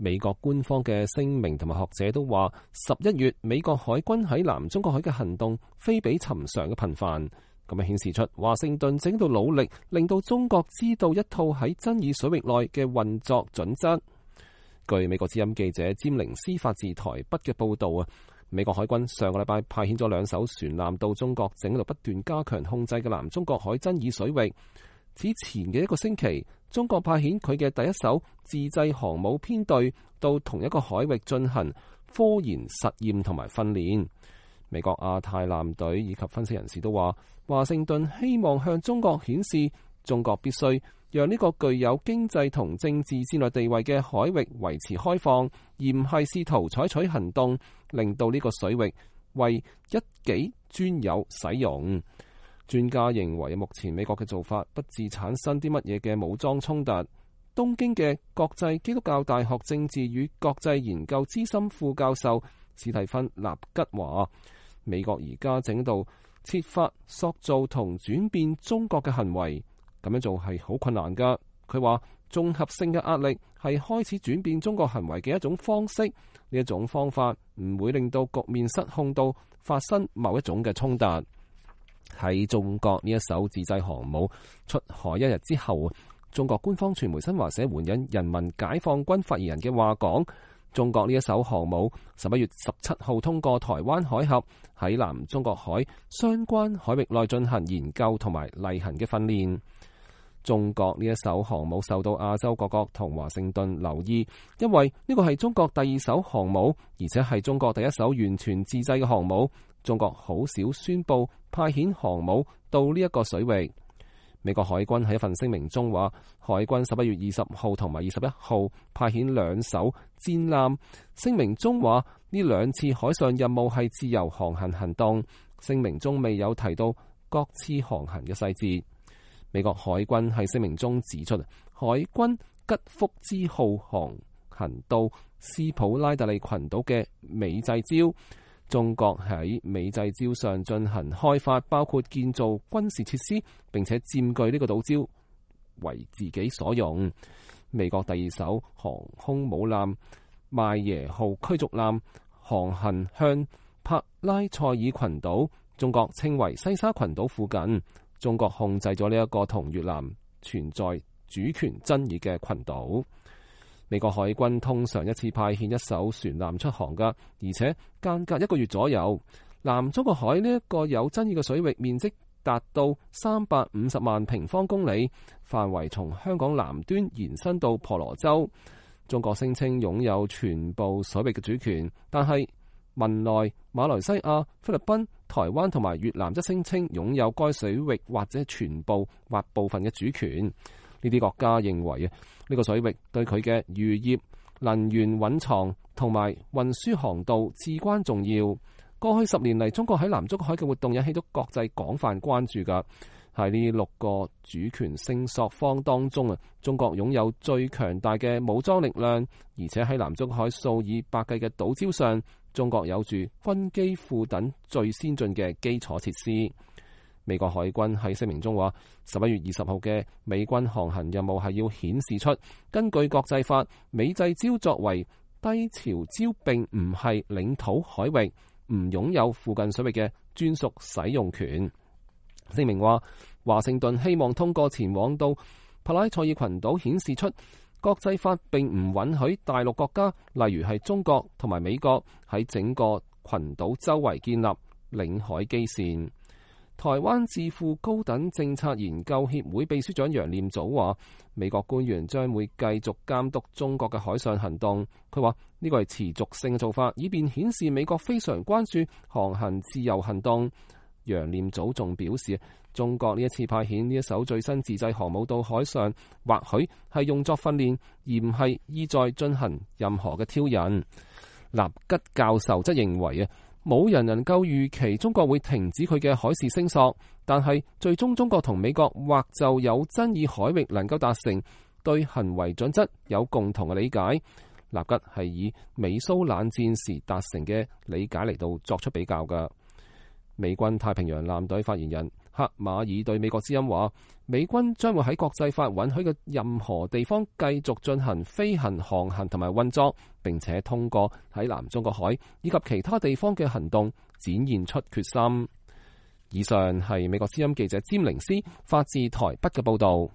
美國官方嘅聲明同埋學者都話，11月美國海軍喺南中國海嘅行動非比尋常嘅頻繁，咁樣顯示出華盛頓正喺度努力令到中國知道一套喺爭議水域內嘅運作準則。據美國之音記者詹寧斯發自台北嘅報道啊，美國海軍上個禮拜派遣咗2艘船艦到中國正喺度不斷加強控制嘅南中國海爭議水域。此前嘅1個星期，中國派遣佢嘅第一艘自製航母編隊到同一個海域進行科研實驗同埋訓練。美國亞太艦隊以及分析人士都話，華盛頓希望向中國顯示，中國必須讓呢個具有經濟同政治戰略地位嘅海域維持開放，而唔係試圖採取行動令到呢個水域為一己專有使用。專家認為，目前美國嘅做法不致產生啲乜嘢嘅武裝衝突。東京嘅國際基督教大學政治與國際研究資深副教授史蒂芬納吉話，美國而家整度設法塑造同轉變中國嘅行為，咁樣做係好困難噶。佢話綜合性嘅壓力係開始轉變中國行為嘅一種方式，呢一種方法唔會令到局面失控到發生某一種嘅衝突。喺中國呢一艘自製航母出海1日之後，中國官方傳媒新華社援引人民解放軍發言人嘅話講，中國呢一艘航母11月17號通過台灣海峽，喺南中國海相關海域內進行研究同埋例行嘅訓練。中國呢一艘航母受到亞洲各國同華盛頓留意，因為呢個係中國第2艘航母，而且係中國第1艘完全自製嘅航母。中國好少宣布派遣航母到呢一個水域。美國海軍喺一份聲明中話，海軍11月20號同埋21號派遣2艘戰艦。聲明中話，呢2次海上任務係自由航行行動。聲明中未有提到各次航行嘅細節。美國海軍喺聲明中指出，海軍吉福之號航行到斯普拉特利群島嘅美濟礁。中國喺美濟礁上進行開發，包括建造軍事設施，並且佔據呢個島礁為自己所用。美國第2艘航空母艦邁耶號驅逐艦航行向帕拉塞爾群島，中國稱為西沙群島附近。中國控制咗呢一個同越南存在主權爭議嘅群島。美國海軍通常一次派遣1艘船艦出航㗎，而且間隔1個月左右。南中國海呢一個有爭議嘅水域面積達到350萬平方公里，範圍從香港南端延伸到婆羅洲。中國聲稱擁有全部水域嘅主權，但係文萊、馬來西亞、菲律賓、台灣同埋越南則聲稱擁有該水域或者全部或部分嘅主權。呢啲國家認為呢個水域對佢嘅漁業、能源蘊藏同埋運輸航道至關重要。過去10年嚟，中國喺南中國海嘅活動引起到國際廣泛關注㗎。喺呢6個主權聲索方當中中國擁有最強大嘅武裝力量，而且喺南中國海數以百計嘅島礁上，中國有住軍機庫等最先進嘅基礎設施。美國海軍喺聲明中話，11月20號嘅美軍航行任務係要顯示出，根據國際法，美濟礁作為低潮礁並唔係領土海域，唔擁有附近水域嘅專屬使用權。聲明話，華盛頓希望通過前往到帕拉塞爾群島顯示出，國際法並唔允許大陸國家，例如係中國同埋美國喺整個群島周圍建立領海基線。台灣智庫高等政策研究協會秘書長楊念祖話，美國官員將會繼續監督中國嘅海上行動。佢話呢個係持續性嘅做法，以便顯示美國非常關注航行自由行動。楊念祖仲表示，中國呢一次派遣呢一艘最新自製航母到海上，或許係用作訓練，而唔係意在進行任何嘅挑釁。納吉教授則認為冇人能夠預期中國會停止佢嘅海事聲索，但係最終中國同美國或就有爭議海域能夠達成對行為準則有共同嘅理解。納吉係以美蘇冷戰時達成嘅理解嚟到作出比較嘅。美軍太平洋艦隊發言人克馬爾對美國之音話，美軍將會喺國際法允許嘅任何地方繼續進行飛行、航行同埋運作，並且通過喺南中國海以及其他地方嘅行動展現出決心。以上係美國之音記者詹寧斯發自台北嘅報道。